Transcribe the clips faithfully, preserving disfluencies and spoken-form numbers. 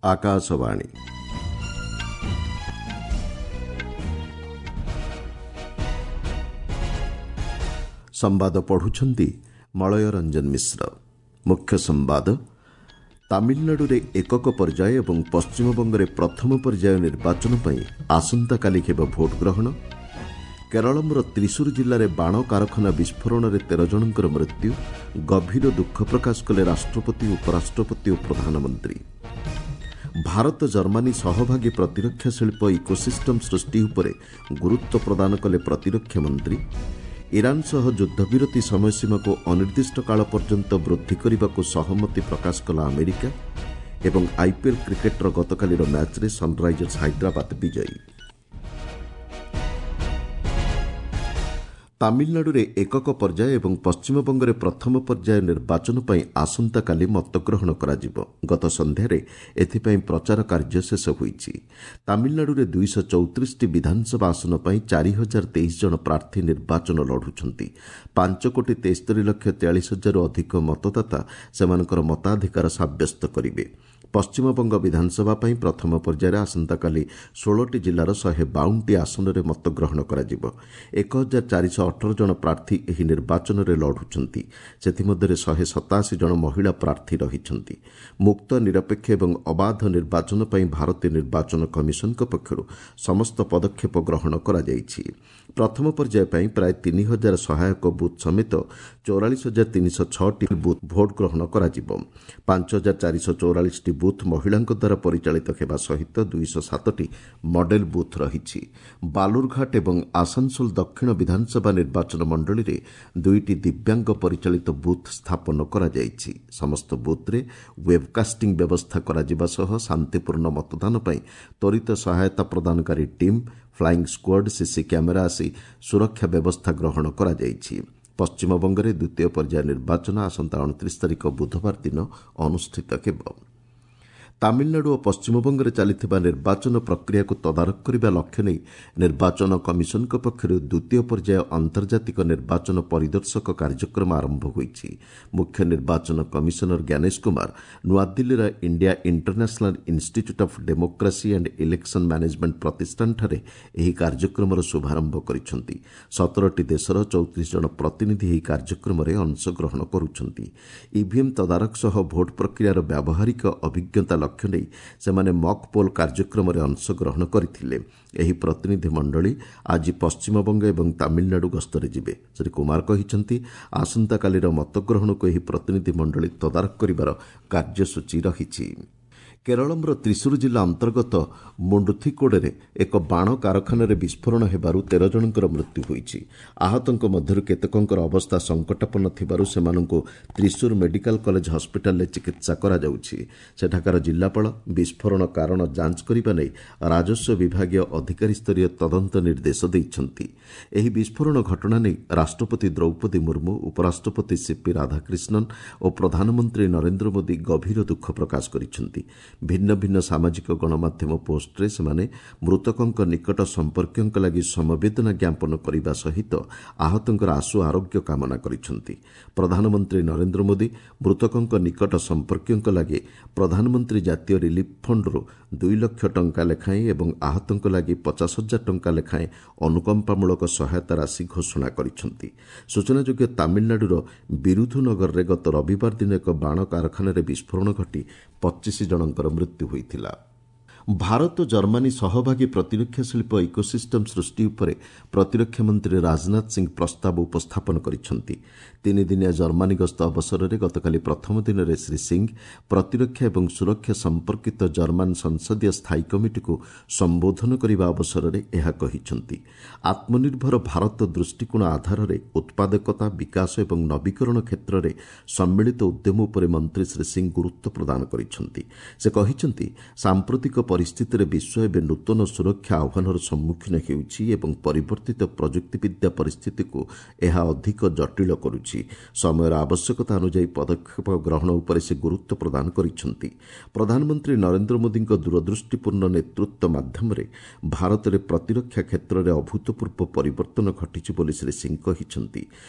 ଆକାଶବାଣୀ ସମ୍ବାଦ ପଢୁଛନ୍ତି ମଳୟ ରଞ୍ଜନ ମିଶ୍ର ମୁଖ୍ୟ ସମ୍ବାଦ ତାମିଲନାଡୁରେ ଏକକ ପର୍ଯ୍ୟାୟ ଏବଂ ପଶ୍ଚିମବଙ୍ଗରେ ପ୍ରଥମ ପର୍ଯ୍ୟାୟ ନିର୍ବାଚନ ପାଇଁ ଆସନ୍ତାକାଲି ହେବ ଭୋଟ ଗ୍ରହଣ କେରଳର ତ୍ରିଶୂର ଜିଲ୍ଲାରେ ବାଣ କାରଖାନା ବିସ୍ଫୋରଣରେ ତେର ଜଣଙ୍କର ମୃତ୍ୟୁ ଗଭୀର ଦୁଃଖ ପ୍ରକାଶ କଲେ ରାଷ୍ଟ୍ରପତି ଉପରାଷ୍ଟ୍ରପତି ଓ ପ୍ରଧାନମନ୍ତ୍ରୀ ଭାରତ ଜର୍ମାନୀ ସହଭାଗୀ ପ୍ରତିରକ୍ଷା ଶିଳ୍ପ ଇକୋସିଷ୍ଟମ୍ ସୃଷ୍ଟି ଉପରେ ଗୁରୁତ୍ୱ ପ୍ରଦାନ କଲେ ପ୍ରତିରକ୍ଷା ମନ୍ତ୍ରୀ ଇରାନ ସହ ଯୁଦ୍ଧବିରତି ସମୟସୀମାକୁ ଅନିର୍ଦ୍ଦିଷ୍ଟ କାଳ ପର୍ଯ୍ୟନ୍ତ ବୃଦ୍ଧି କରିବାକୁ ସହମତି ପ୍ରକାଶ କଲା ଆମେରିକା ଏବଂ ଆଇପିଏଲ୍ କ୍ରିକେଟ୍ର ଗତକାଲିର ମ୍ୟାଚ୍ରେ ସନ୍ରାଇଜର୍ସ ହାଇଦ୍ରାବାଦ ବିଜୟୀ ତାମିଲନାଡୁରେ ଏକକ ପର୍ଯ୍ୟାୟ ଏବଂ ପଶ୍ଚିମବଙ୍ଗରେ ପ୍ରଥମ ପର୍ଯ୍ୟାୟ ନିର୍ବାଚନ ପାଇଁ ଆସନ୍ତାକାଲି ମତଗ୍ରହଣ କରାଯିବ ଗତ ସନ୍ଧ୍ୟାରେ ଏଥିପାଇଁ ପ୍ରଚାର କାର୍ଯ୍ୟ ଶେଷ ହୋଇଛି ତାମିଲନାଡୁରେ ଦୁଇଶହ ଚଉତିରିଶଟି ବିଧାନସଭା ଆସନ ପାଇଁ ଚାରି ହଜାର ତେଇଶ ଜଣ ପ୍ରାର୍ଥୀ ନିର୍ବାଚନ ଲଢୁଛନ୍ତି ପାଞ୍ଚ କୋଟି ତେସ୍ତରୀ ଲକ୍ଷ ତେୟାଳିଶ ହଜାରରୁ ଅଧିକ ମତଦାତା ସେମାନଙ୍କର ମତାଧିକାର ସାବ୍ୟସ୍ତ କରିବେ ପଶ୍ଚିମବଙ୍ଗ ବିଧାନସଭା ପାଇଁ ପ୍ରଥମ ପର୍ଯ୍ୟାୟରେ ଆସନ୍ତାକାଲି ଷୋହଳଟି ଜିଲ୍ଲାର ଶହେ ବାଉନଟି ଆସନରେ ମତଗ୍ରହଣ କରାଯିବ ଏକ ହଜାର ଚାରିଶହ ଅଠର ଜଣ ପ୍ରାର୍ଥୀ ଏହି ନିର୍ବାଚନରେ ଲଢୁଛନ୍ତି ସେଥିମଧ୍ୟରେ ଶହେ ସତାଅଶୀ ଜଣ ମହିଳା ପ୍ରାର୍ଥୀ ରହିଛନ୍ତି ମୁକ୍ତ ନିରପେକ୍ଷ ଏବଂ ଅବାଧ ନିର୍ବାଚନ ପାଇଁ ଭାରତୀୟ ନିର୍ବାଚନ କମିଶନଙ୍କ ପକ୍ଷରୁ ସମସ୍ତ ପଦକ୍ଷେପ ଗ୍ରହଣ କରାଯାଇଛି ପ୍ରଥମ ପର୍ଯ୍ୟାୟ ପାଇଁ ପ୍ରାୟ ତିନି ହଜାର ସହାୟକ ବୁଥ୍ ସମେତ ଚଉରାଳିଶ ହଜାର ତିନିଶହ ଛଅଟି ବୁଥ୍ ଭୋଟ ଗ୍ରହଣ କରାଯିବ ପାଞ୍ଚ ହଜାର ଚାରିଶହ ଚଉରାଳିଶଟି ବୁଥ୍ ମହିଳାଙ୍କ ଦ୍ୱାରା ପରିଚାଳିତ ହେବା ସହିତ ଦୁଇଶହ ସାତଟି ମଡେଲ ବୁଥ୍ ରହିଛି ବାଲୁରଘାଟ ଏବଂ ଆସାନସୋଲ ଦକ୍ଷିଣ ବିଧାନସଭା ନିର୍ବାଚନ ମଣ୍ଡଳୀରେ ଦୁଇଟି ଦିବ୍ୟାଙ୍ଗ ପରିଚାଳିତ ବୁଥ୍ ସ୍ଥାପନ କରାଯାଇଛି ସମସ୍ତ ବୁଥ୍ରେ ୱେବ୍କାଷ୍ଟିଂ ବ୍ୟବସ୍ଥା କରାଯିବା ସହ ଶାନ୍ତିପୂର୍ଣ୍ଣ ମତଦାନ ପାଇଁ ତ୍ୱରିତ ସହାୟତା ପ୍ରଦାନକାରୀ team flying squad CC camera ଆସି ସୁରକ୍ଷା ବ୍ୟବସ୍ଥା ଗ୍ରହଣ କରାଯାଇଛି ପଶ୍ଚିମବଙ୍ଗରେ ଦ୍ୱିତୀୟ ପର୍ଯ୍ୟାୟ ନିର୍ବାଚନ ଆସନ୍ତା ଅଣତିରିଶ ତାରିଖ ବୁଧବାର ଦିନ ଅନୁଷ୍ଠିତ ହେବ ତାମିଲନାଡୁ ଓ ପଶ୍ଚିମବଙ୍ଗରେ ଚାଲିଥିବା ନିର୍ବାଚନ ପ୍ରକ୍ରିୟାକୁ ତଦାରଖ କରିବା ଲକ୍ଷ୍ୟ ନେଇ ନିର୍ବାଚନ କମିଶନଙ୍କ ପକ୍ଷରୁ ଦ୍ୱିତୀୟ ପର୍ଯ୍ୟାୟ ଆନ୍ତର୍ଜାତିକ ନିର୍ବାଚନ ପରିଦର୍ଶକ କାର୍ଯ୍ୟକ୍ରମ ଆରମ୍ଭ ହୋଇଛି ମୁଖ୍ୟ ନିର୍ବାଚନ କମିଶନର ଜ୍ଞାନେଶ କୁମାର ନୂଆଦିଲ୍ଲୀର India International Institute of Democracy and Election Management ପ୍ରତିଷ୍ଠାନଠାରେ ଏହି କାର୍ଯ୍ୟକ୍ରମର ଶୁଭାରମ୍ଭ କରିଛନ୍ତି ସତରଟି ଦେଶର ଚଉତିରିଶ ଜଣ ପ୍ରତିନିଧି ଏହି କାର୍ଯ୍ୟକ୍ରମରେ ଅଂଶଗ୍ରହଣ କରୁଛନ୍ତି ଇଭିଏମ୍ ତଦାରଖ ସହ ଭୋଟ ପ୍ରକ୍ରିୟାର ବ୍ୟାବହାରିକ ଅଭିଜ୍ଞତା ଲକ୍ଷ୍ୟ ନେଇ ସେମାନେ ମକ୍ ପୋଲ୍ କାର୍ଯ୍ୟକ୍ରମରେ ଅଂଶଗ୍ରହଣ କରିଥିଲେ ଏହି ପ୍ରତିନିଧି ମଣ୍ଡଳୀ ଆଜି ପଶ୍ଚିମବଙ୍ଗ ଏବଂ ତାମିଲନାଡୁ ଗସ୍ତରେ ଯିବେ ଶ୍ରୀ କୁମାର କହିଛନ୍ତି ଆସନ୍ତାକାଲିର ମତଗ୍ରହଣକୁ ଏହି ପ୍ରତିନିଧି ମଣ୍ଡଳୀ ତଦାରଖ କରିବାର କାର୍ଯ୍ୟସୂଚୀ ରହିଛି କେରଳର ତ୍ରିଶୂର ଜିଲ୍ଲା ଅନ୍ତର୍ଗତ ମୁଣ୍ଡୁଥିକୋଡ଼ରେ ଏକ ବାଣ କାରଖାନାରେ ବିସ୍ଫୋରଣ ହେବାରୁ ତେର ଜଣଙ୍କର ମୃତ୍ୟୁ ହୋଇଛି ଆହତଙ୍କ ମଧ୍ୟରୁ କେତେକଙ୍କର ଅବସ୍ଥା ସଙ୍କଟାପନ୍ନ ଥିବାରୁ ସେମାନଙ୍କୁ ତ୍ରିଶୂର ମେଡିକାଲ କଲେଜ ହସ୍ପିଟାଲରେ ଚିକିତ୍ସା କରାଯାଉଛି ସେଠାକାର ଜିଲ୍ଲାପାଳ ବିସ୍ଫୋରଣ କାରଣ ଯାଞ୍ଚ କରିବା ନେଇ ରାଜସ୍ୱ ବିଭାଗୀୟ ଅଧିକାରୀ ସ୍ତରୀୟ ତଦନ୍ତ ନିର୍ଦ୍ଦେଶ ଦେଇଛନ୍ତି ଏହି ବିସ୍ଫୋରଣ ଘଟଣା ନେଇ ରାଷ୍ଟ୍ରପତି ଦ୍ରୌପଦୀ ମୁର୍ମୁ ଉପରାଷ୍ଟ୍ରପତି ସିପି ରାଧାକ୍ରିଷ୍ଣନ ଓ ପ୍ରଧାନମନ୍ତ୍ରୀ ନରେନ୍ଦ୍ର ମୋଦି ଗଭୀର ଦୁଃଖ ପ୍ରକାଶ କରିଛନ୍ତି ଭିନ୍ନ ଭିନ୍ନ ସାମାଜିକ ଗଣମାଧ୍ୟମ ପୋଷ୍ଟରେ ସେମାନେ ମୃତକଙ୍କ ନିକଟ ସମ୍ପର୍କୀୟଙ୍କ ଲାଗି ସମବେଦନା ଜ୍ଞାପନ କରିବା ସହିତ ଆହତଙ୍କର ଆଶୁ ଆରୋଗ୍ୟ କାମନା କରିଛନ୍ତି ପ୍ରଧାନମନ୍ତ୍ରୀ ନରେନ୍ଦ୍ର ମୋଦି ମୃତକଙ୍କ ନିକଟ ସମ୍ପର୍କୀୟଙ୍କ ଲାଗି ପ୍ରଧାନମନ୍ତ୍ରୀ ଜାତୀୟ ରିଲିଫ୍ ଫଣ୍ଡରୁ ଦୁଇ ଲକ୍ଷ ଟଙ୍କା ଲେଖାଏଁ ଏବଂ ଆହତଙ୍କ ଲାଗି ପଚାଶ ହଜାର ଟଙ୍କା ଲେଖାଏଁ ଅନୁକମ୍ପାମୂଳକ ସହାୟତା ରାଶି ଘୋଷଣା କରିଛନ୍ତି ସୂଚନାଯୋଗ୍ୟ ତାମିଲନାଡୁର ବିରୁଧୁନଗରରେ ଗତ ରବିବାର ଦିନ ଏକ ବାଣ କାରଖାନାରେ ବିସ୍ଫୋରଣ ଘଟି ପଚିଶ ଜଣଙ୍କର ମୃତ୍ୟୁ ହୋଇଥିଲା ଭାରତ ଜର୍ମାନୀ ସହଭାଗୀ ପ୍ରତିରକ୍ଷା ଶିଳ୍ପ ଇକୋସିଷ୍ଟମ୍ ସୃଷ୍ଟି ଉପରେ ପ୍ରତିରକ୍ଷା ମନ୍ତ୍ରୀ ରାଜନାଥ ସିଂ ପ୍ରସ୍ତାବ ଉପସ୍ଥାପନ କରିଛନ୍ତି ତିନିଦିନିଆ ଜର୍ମାନୀ ଗସ୍ତ ଅବସରରେ ଗତକାଲି ପ୍ରଥମ ଦିନରେ ଶ୍ରୀ ସିଂ ପ୍ରତିରକ୍ଷା ଏବଂ ସୁରକ୍ଷା ସମ୍ପର୍କିତ ଜର୍ମାନ ସଂସଦୀୟ ସ୍ଥାୟୀ କମିଟିକୁ ସମ୍ବୋଧନ କରିବା ଅବସରରେ ଏହା କହିଛନ୍ତି ଆତ୍ମନିର୍ଭର ଭାରତ ଦୃଷ୍ଟିକୋଣ ଆଧାରରେ ଉତ୍ପାଦକତା ବିକାଶ ଏବଂ ନବୀକରଣ କ୍ଷେତ୍ରରେ ସମ୍ମିଳିତ ଉଦ୍ୟମ ଉପରେ ମନ୍ତ୍ରୀ ଶ୍ରୀ ସିଂ ଗୁରୁତ୍ୱ ପ୍ରଦାନ କରିଛନ୍ତି ସେ କହିଛନ୍ତି ସାମ୍ପ୍ରତିକ ପରିସ୍ଥିତିରେ ବିଶ୍ୱ ଏବେ ନୂତନ ସୁରକ୍ଷା ଆହ୍ୱାନର ସମ୍ମୁଖୀନ ହେଉଛି ଏବଂ ପରିବର୍ତ୍ତିତ ପ୍ରଯୁକ୍ତିବିଦ୍ୟା ପରିସ୍ଥିତିକୁ ଏହା ଅଧିକ ଜଟିଳ କରୁଛି। ସମୟର ଆବଶ୍ୟକତା ଅନୁଯାୟୀ ପଦକ୍ଷେପ ଗ୍ରହଣ ଉପରେ ସେ ଗୁରୁତ୍ୱ ପ୍ରଦାନ କରିଛନ୍ତି। ପ୍ରଧାନମନ୍ତ୍ରୀ ନରେନ୍ଦ୍ର ମୋଦିଙ୍କ ଦୂରଦୃଷ୍ଟିପୂର୍ଣ୍ଣ ନେତୃତ୍ୱ ମାଧ୍ୟମରେ ଭାରତରେ ପ୍ରତିରକ୍ଷା କ୍ଷେତ୍ରରେ ଅଭୂତପୂର୍ବ ପରିବର୍ତ୍ତନ ଘଟିଛି ବୋଲି ଶ୍ରୀ ସିଂ କହିଛନ୍ତି।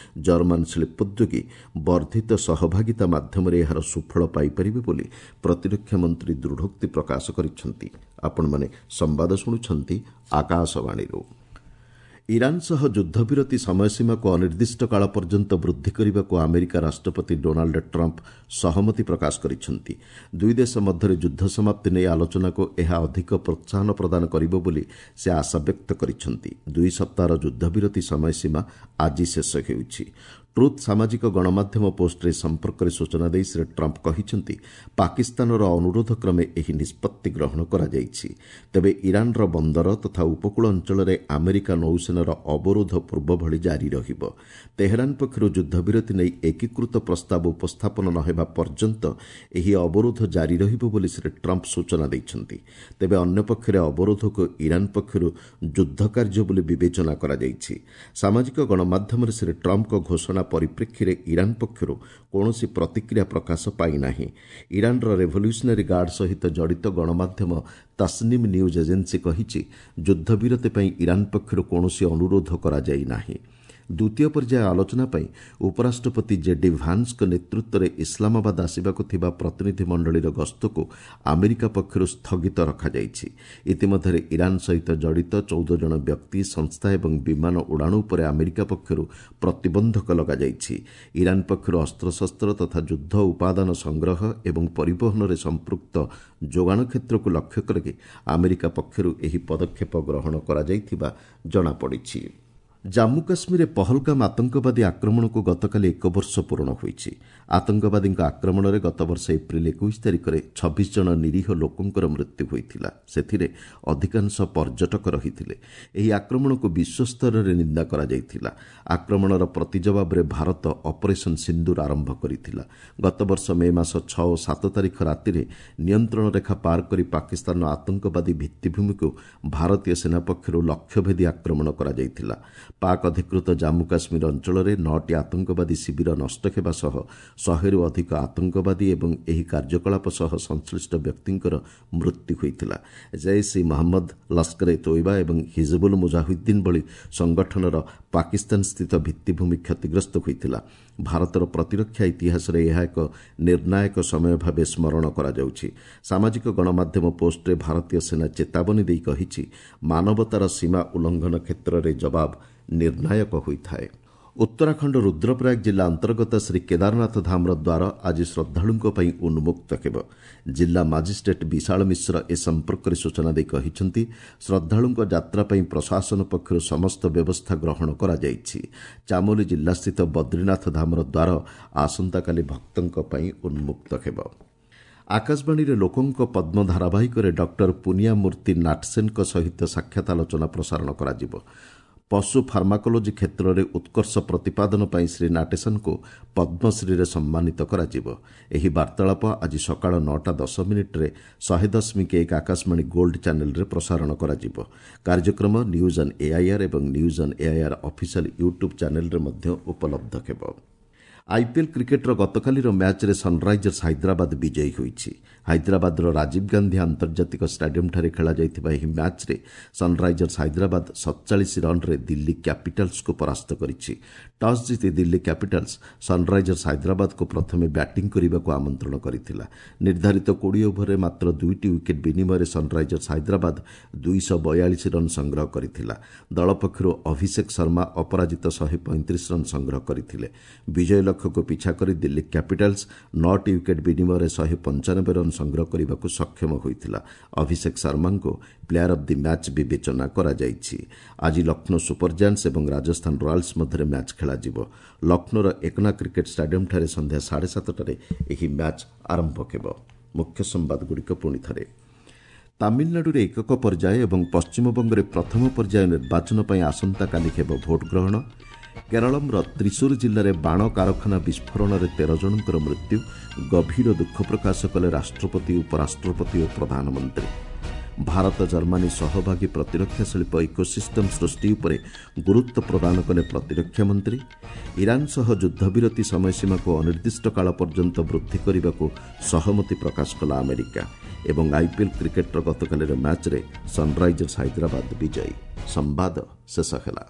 ଜର୍ମାନ ଶିଳ୍ପୋଦ୍ୟୋଗୀ ବର୍ଦ୍ଧିତ ସହଭାଗିତା ମାଧ୍ୟମରେ ଏହାର ସୁଫଳ ପାଇପାରିବେ ବୋଲି ପ୍ରତିରକ୍ଷା ମନ୍ତ୍ରୀ ଦୃଢ଼ୋକ୍ତି ପ୍ରକାଶ କରିଛନ୍ତି। ଆପଣମାନେ ସମ୍ବାଦ ଶୁଣୁଛନ୍ତି ଆକାଶବାଣୀରୁ। ଇରାନ୍ ସହ ଯୁଦ୍ଧବିରତି ସମୟସୀମାକୁ ଅନିର୍ଦ୍ଦିଷ୍ଟ କାଳ ପର୍ଯ୍ୟନ୍ତ ବୃଦ୍ଧି କରିବାକୁ ଆମେରିକା ରାଷ୍ଟ୍ରପତି ଡୋନାଲ୍ଡ ଟ୍ରମ୍ପ ସହମତି ପ୍ରକାଶ କରିଛନ୍ତି। ଦୁଇ ଦେଶ ମଧ୍ୟରେ ଯୁଦ୍ଧ ସମାପ୍ତି ନେଇ ଆଲୋଚନାକୁ ଏହା ଅଧିକ ପ୍ରୋତ୍ସାହନ ପ୍ରଦାନ କରିବ ବୋଲି ସେ ଆଶାବ୍ୟକ୍ତ କରିଛନ୍ତି। ଦୁଇ ସପ୍ତାହର ଯୁଦ୍ଧବିରତି ସମୟସୀମା ଆଜି ଶେଷ ହେଉଛି। ଟ୍ରୁଥ୍ ସାମାଜିକ ଗଣମାଧ୍ୟମ ପୋଷ୍ଟରେ ଏ ସମ୍ପର୍କରେ ସୂଚନା ଦେଇ ଶ୍ରୀ ଟ୍ରମ୍ପ କହିଛନ୍ତି, ପାକିସ୍ତାନର ଅନୁରୋଧ କ୍ରମେ ଏହି ନିଷ୍ପତ୍ତି ଗ୍ରହଣ କରାଯାଇଛି। ତେବେ ଇରାନ୍ର ବନ୍ଦର ତଥା ଉପକୂଳ ଅଞ୍ଚଳରେ ଆମେରିକା ନୌସେନାର ଅବରୋଧ ପୂର୍ବଭଳି ଜାରି ରହିବ। ତେହେରାନ ପକ୍ଷରୁ ଯୁଦ୍ଧବିରତି ନେଇ ଏକୀକୃତ ପ୍ରସ୍ତାବ ଉପସ୍ଥାପନ ନ ହେବା ପର୍ଯ୍ୟନ୍ତ ଏହି ଅବରୋଧ ଜାରି ରହିବ ବୋଲି ଶ୍ରୀ ଟ୍ରମ୍ପ ସୂଚନା ଦେଇଛନ୍ତି। ତେବେ ଅନ୍ୟପକ୍ଷରେ ଅବରୋଧକୁ ଇରାନ୍ ପକ୍ଷରୁ ଯୁଦ୍ଧ କାର୍ଯ୍ୟ ବୋଲି ବିବେଚନା କରାଯାଇଛି। ସାମାଜିକ ଗଣମାଧ୍ୟମରେ ଶ୍ରୀ ଟ୍ରମ୍ପଙ୍କ ଘୋଷଣା ପରିପ୍ରେକ୍ଷୀରେ ଇରାନ୍ ପକ୍ଷରୁ କୌଣସି ପ୍ରତିକ୍ରିୟା ପ୍ରକାଶ ପାଇନାହିଁ। ଇରାନ୍ର ରେଭଲ୍ୟୁସନାରୀ ଗାର୍ଡ ସହିତ ଜଡ଼ିତ ଗଣମାଧ୍ୟମ ତାସନିମ୍ ନ୍ୟୁଜ୍ ଏଜେନ୍ସି କହିଛି, ଯୁଦ୍ଧବିରତି ପାଇଁ ଇରାନ୍ ପକ୍ଷରୁ କୌଣସି ଅନୁରୋଧ କରାଯାଇ ନାହିଁ। ଦ୍ୱିତୀୟ ପର୍ଯ୍ୟାୟ ଆଲୋଚନା ପାଇଁ ଉପରାଷ୍ଟ୍ରପତି ଜେଡି ଭାନ୍ସଙ୍କ ନେତୃତ୍ୱରେ ଇସଲାମାବାଦ ଆସିବାକୁ ଥିବା ପ୍ରତିନିଧି ମଣ୍ଡଳୀର ଗସ୍ତକୁ ଆମେରିକା ପକ୍ଷରୁ ସ୍ଥଗିତ ରଖାଯାଇଛି। ଇତିମଧ୍ୟରେ ଇରାନ୍ ସହିତ ଜଡ଼ିତ ଚଉଦ ଜଣ ବ୍ୟକ୍ତି, ସଂସ୍ଥା ଏବଂ ବିମାନ ଉଡ଼ାଣ ଉପରେ ଆମେରିକା ପକ୍ଷରୁ ପ୍ରତିବନ୍ଧକ ଲଗାଯାଇଛି। ଇରାନ୍ ପକ୍ଷରୁ ଅସ୍ତ୍ରଶସ୍ତ୍ର ତଥା ଯୁଦ୍ଧ ଉପାଦାନ ସଂଗ୍ରହ ଏବଂ ପରିବହନରେ ସମ୍ପୃକ୍ତ ଯୋଗାଣ କ୍ଷେତ୍ରକୁ ଲକ୍ଷ୍ୟ କରି ଆମେରିକା ପକ୍ଷରୁ ଏହି ପଦକ୍ଷେପ ଗ୍ରହଣ କରାଯାଇଥିବା ଜଣାପଡ଼ିଛି। ଜାମ୍ମୁ କାଶ୍ମୀରରେ ପହଲଗାମ ଆତଙ୍କବାଦୀ ଆକ୍ରମଣକୁ ଗତକାଲି ଏକ ବର୍ଷ ପୂରଣ ହୋଇଛି। ଆତଙ୍କବାଦୀଙ୍କ ଆକ୍ରମଣରେ ଗତବର୍ଷ ଏପ୍ରିଲ ଏକୋଇଶ ତାରିଖରେ ଛବିଶ ଜଣ ନିରୀହ ଲୋକଙ୍କର ମୃତ୍ୟୁ ହୋଇଥିଲା। ସେଥିରେ ଅଧିକାଂଶ ପର୍ଯ୍ୟଟକ ରହିଥିଲେ। ଏହି ଆକ୍ରମଣକୁ ବିଶ୍ୱସ୍ତରରେ ନିନ୍ଦା କରାଯାଇଥିଲା। ଆକ୍ରମଣର ପ୍ରତିଜବାବରେ ଭାରତ ଅପରେସନ୍ ସିନ୍ଦୁର ଆରମ୍ଭ କରିଥିଲା। ଗତବର୍ଷ ମେ ମାସ ଛଅ ଓ ସାତ ତାରିଖ ରାତିରେ ନିୟନ୍ତ୍ରଣ ରେଖା ପାର କରି ପାକିସ୍ତାନର ଆତଙ୍କବାଦୀ ଭିତ୍ତିଭୂମିକୁ ଭାରତୀୟ ସେନା ପକ୍ଷରୁ ଲକ୍ଷ୍ୟଭେଦୀ ଆକ୍ରମଣ କରାଯାଇଥିଲା। ପାକ୍ ଅଧିକୃତ ଜାମ୍ମୁ କାଶ୍ମୀର ଅଞ୍ଚଳରେ ନଅଟି ଆତଙ୍କବାଦୀ ଶିବିର ନଷ୍ଟ ହେବା ସହ ଶହେରୁ ଅଧିକ ଆତଙ୍କବାଦୀ ଏବଂ ଏହି କାର୍ଯ୍ୟକଳାପ ସହ ସଂଶ୍ଳିଷ୍ଟ ବ୍ୟକ୍ତିଙ୍କର ମୃତ୍ୟୁ ହୋଇଥିଲା। ଜୈସ୍ ଇ ମହମ୍ମଦ, ଲସ୍କର ଏ ତୋଇବା ଏବଂ ହିଜବୁଲ ମୁଜାହିଦ୍ଦିନ ଭଳି ସଂଗଠନର ପାକିସ୍ତାନ ସ୍ଥିତ ଭିତ୍ତିଭୂମି କ୍ଷତିଗ୍ରସ୍ତ ହୋଇଥିଲା। ଭାରତର ପ୍ରତିରକ୍ଷା ଇତିହାସରେ ଏହା ଏକ ନିର୍ଣ୍ଣାୟକ ସମୟ ଭାବେ ସ୍ମରଣ କରାଯାଉଛି। ସାମାଜିକ ଗଣମାଧ୍ୟମ ପୋଷ୍ଟରେ ଭାରତୀୟ ସେନା ଚେତାବନୀ ଦେଇ କହିଛି, ମାନବତାର ସୀମା ଉଲ୍ଲଂଘନ କ୍ଷେତ୍ରରେ ଜବାବ ନିର୍ଣ୍ଣାୟକ ହୋଇଥାଏ। ଉତ୍ତରାଖଣ୍ଡ ରୁଦ୍ରପ୍ରୟାଗ ଜିଲ୍ଲା ଅନ୍ତର୍ଗତ ଶ୍ରୀ କେଦାରନାଥ ଧାମର ଦ୍ୱାର ଆଜି ଶ୍ରଦ୍ଧାଳୁଙ୍କ ପାଇଁ ଉନ୍ମୁକ୍ତ ହେବ। ଜିଲ୍ଲା ମାଜିଷ୍ଟ୍ରେଟ୍ ବିଶାଳ ମିଶ୍ର ଏ ସମ୍ପର୍କରେ ସୂଚନା ଦେଇ କହିଛନ୍ତି, ଶ୍ରଦ୍ଧାଳୁଙ୍କ ଯାତ୍ରା ପାଇଁ ପ୍ରଶାସନ ପକ୍ଷରୁ ସମସ୍ତ ବ୍ୟବସ୍ଥା ଗ୍ରହଣ କରାଯାଇଛି। ଚାମୋଲି ଜିଲ୍ଲାସ୍ଥିତ ବଦ୍ରିନାଥ ଧାମର ଦ୍ୱାର ଆସନ୍ତାକାଲି ଭକ୍ତଙ୍କ ପାଇଁ ଉନ୍ମୁକ୍ତ ହେବ। ଆକାଶବାଣୀରେ ଲୋକଙ୍କ ପଦ୍ମ ଧାରାବାହିକରେ ଡକ୍ଟର ପୁନିଆ ମୂର୍ତ୍ତି ନାଟସେନଙ୍କ ସହିତ ସାକ୍ଷାତ ଆଲୋଚନା ପ୍ରସାରଣ କରାଯିବ। ପଶୁ ଫାର୍ମାକୋଲୋଜି କ୍ଷେତ୍ରରେ ଉତ୍କର୍ଷ ପ୍ରତିପାଦନ ପାଇଁ ଶ୍ରୀ ନାଟେସନଙ୍କୁ ପଦ୍ମଶ୍ରୀରେ ସମ୍ମାନିତ କରାଯିବ। ଏହି ବାର୍ତ୍ତାଳାପ ଆଜି ସକାଳ ନଅଟା ଦଶ ମିନିଟ୍ରେ ଶହେ ଦଶମିକ ଏକ ଆକାଶବାଣୀ ଗୋଲ୍ଡ ଚ୍ୟାନେଲରେ ପ୍ରସାରଣ କରାଯିବ। କାର୍ଯ୍ୟକ୍ରମ ନ୍ୟୁଜ୍ ଅନ୍ ଏଆଇଆର୍ ଏବଂ news on AIR official YouTube ଚ୍ୟାନେଲରେ ମଧ୍ୟ ଉପଲବ୍ଧ ହେବ। ଆଇପିଏଲ୍ କ୍ରିକେଟ୍ର ଗତକାଲିର ମ୍ୟାଚ୍ରେ ସନ୍ରାଇଜର୍ସ ହାଇଦ୍ରାବାଦ ବିଜୟୀ ହୋଇଛି। ହାଇଦ୍ରାବାଦର ରାଜୀବ ଗାନ୍ଧୀ ଆନ୍ତର୍ଜାତିକ ଷ୍ଟାଡିୟମ୍ଠାରେ ଖେଳାଯାଇଥିବା ଏହି ମ୍ୟାଚ୍ରେ ସନ୍ରାଇଜର୍ସ ହାଇଦ୍ରାବାଦ ସତଚାଳିଶ ରନ୍ରେ ଦିଲ୍ଲୀ କ୍ୟାପିଟାଲ୍ସକୁ ପରାସ୍ତ କରିଛି। ଟସ୍ ଜିତି ଦିଲ୍ଲୀ କ୍ୟାପିଟାଲ୍ସ ସନ୍ରାଇଜର୍ସ ହାଇଦ୍ରାବାଦକୁ ପ୍ରଥମେ ବ୍ୟାଟିଂ କରିବାକୁ ଆମନ୍ତ୍ରଣ କରିଥିଲା। ନିର୍ଦ୍ଧାରିତ କୋଡ଼ିଏ ଓଭରରେ ମାତ୍ର ଦୁଇଟି ୱିକେଟ୍ ବିନିମୟରେ ସନ୍ରାଇଜର୍ସ ହାଇଦ୍ରାବାଦ ଦୁଇଶହ ବୟାଳିଶ ରନ୍ ସଂଗ୍ରହ କରିଥିଲା। ଦଳ ପକ୍ଷରୁ ଅଭିଷେକ ଶର୍ମା ଅପରାଜିତ ଶହେ ପଇଁତିରିଶ ରନ୍ ସଂଗ୍ରହ କରିଥିଲେ। ବିଜୟ ଲକ୍ଷ୍ୟକୁ ପିଛା କରି ଦିଲ୍ଲୀ କ୍ୟାପିଟାଲ୍ସ ନଅଟି ୱିକେଟ୍ ବିନିମୟରେ ଶହେ ପଞ୍ଚାନବେ ରନ୍ ସଂଗ୍ରହ କରିବାକୁ ସକ୍ଷମ ହୋଇଥିଲା। ଅଭିଷେକ ଶର୍ମାଙ୍କୁ ପ୍ଲେୟାର ଅଫ୍ the match ବିବେଚନା କରାଯାଇଛି। ଆଜି ଲକ୍ଷ୍ନୌ ସୁପର ଜାୟାଣ୍ଟସ୍ ଏବଂ ରାଜସ୍ଥାନ ରୟାଲ୍ସ ମଧ୍ୟରେ ମ୍ୟାଚ୍ ଖେଳାଯିବ। ଲକ୍ଷ୍ନୌର ଏକନା କ୍ରିକେଟ୍ ଷ୍ଟାଡିୟମ୍ଠାରେ ସନ୍ଧ୍ୟା ସାଢ଼େ ସାତଟାରେ ଏହି ମ୍ୟାଚ୍ ଆରମ୍ଭ ହେବ। ମୁଖ୍ୟ ସମ୍ବାଦଗୁଡ଼ିକ ପୁଣି ଥରେ। ତାମିଲନାଡୁରେ ଏକକ ପର୍ଯ୍ୟାୟ ଏବଂ ପଶ୍ଚିମବଙ୍ଗରେ ପ୍ରଥମ ପର୍ଯ୍ୟାୟ ନିର୍ବାଚନ ପାଇଁ ଆସନ୍ତାକାଲି ହେବ ଭୋଟ୍ ଗ୍ରହଣ। କେରଳମର ତ୍ରିଶୂର ଜିଲ୍ଲାରେ ବାଣ କାରଖାନା ବିସ୍ଫୋରଣରେ ତେର ଜଣଙ୍କର ମୃତ୍ୟୁ। ଗଭୀର ଦୁଃଖ ପ୍ରକାଶ କଲେ ରାଷ୍ଟ୍ରପତି, ଉପରାଷ୍ଟ୍ରପତି ଓ ପ୍ରଧାନମନ୍ତ୍ରୀ। ଭାରତ ଜର୍ମାନୀ ସହଭାଗୀ ପ୍ରତିରକ୍ଷା ଶିଳ୍ପ ଇକୋସିଷ୍ଟମ୍ ସୃଷ୍ଟି ଉପରେ ଗୁରୁତ୍ୱ ପ୍ରଦାନ କଲେ ପ୍ରତିରକ୍ଷା ମନ୍ତ୍ରୀ। ଇରାନ ସହ ଯୁଦ୍ଧବିରତି ସମୟସୀମାକୁ ଅନିର୍ଦ୍ଦିଷ୍ଟ କାଳ ପର୍ଯ୍ୟନ୍ତ ବୃଦ୍ଧି କରିବାକୁ ସହମତି ପ୍ରକାଶ କଲା ଆମେରିକା। ଏବଂ ଆଇପିଏଲ୍ କ୍ରିକେଟ୍ର ଗତକାଲିର ମ୍ୟାଚ୍ରେ ସନ୍ରାଇଜର୍ସ ହାଇଦ୍ରାବାଦ ବିଜୟୀ। ସମ୍ବାଦ ଶେଷ ହେଲା।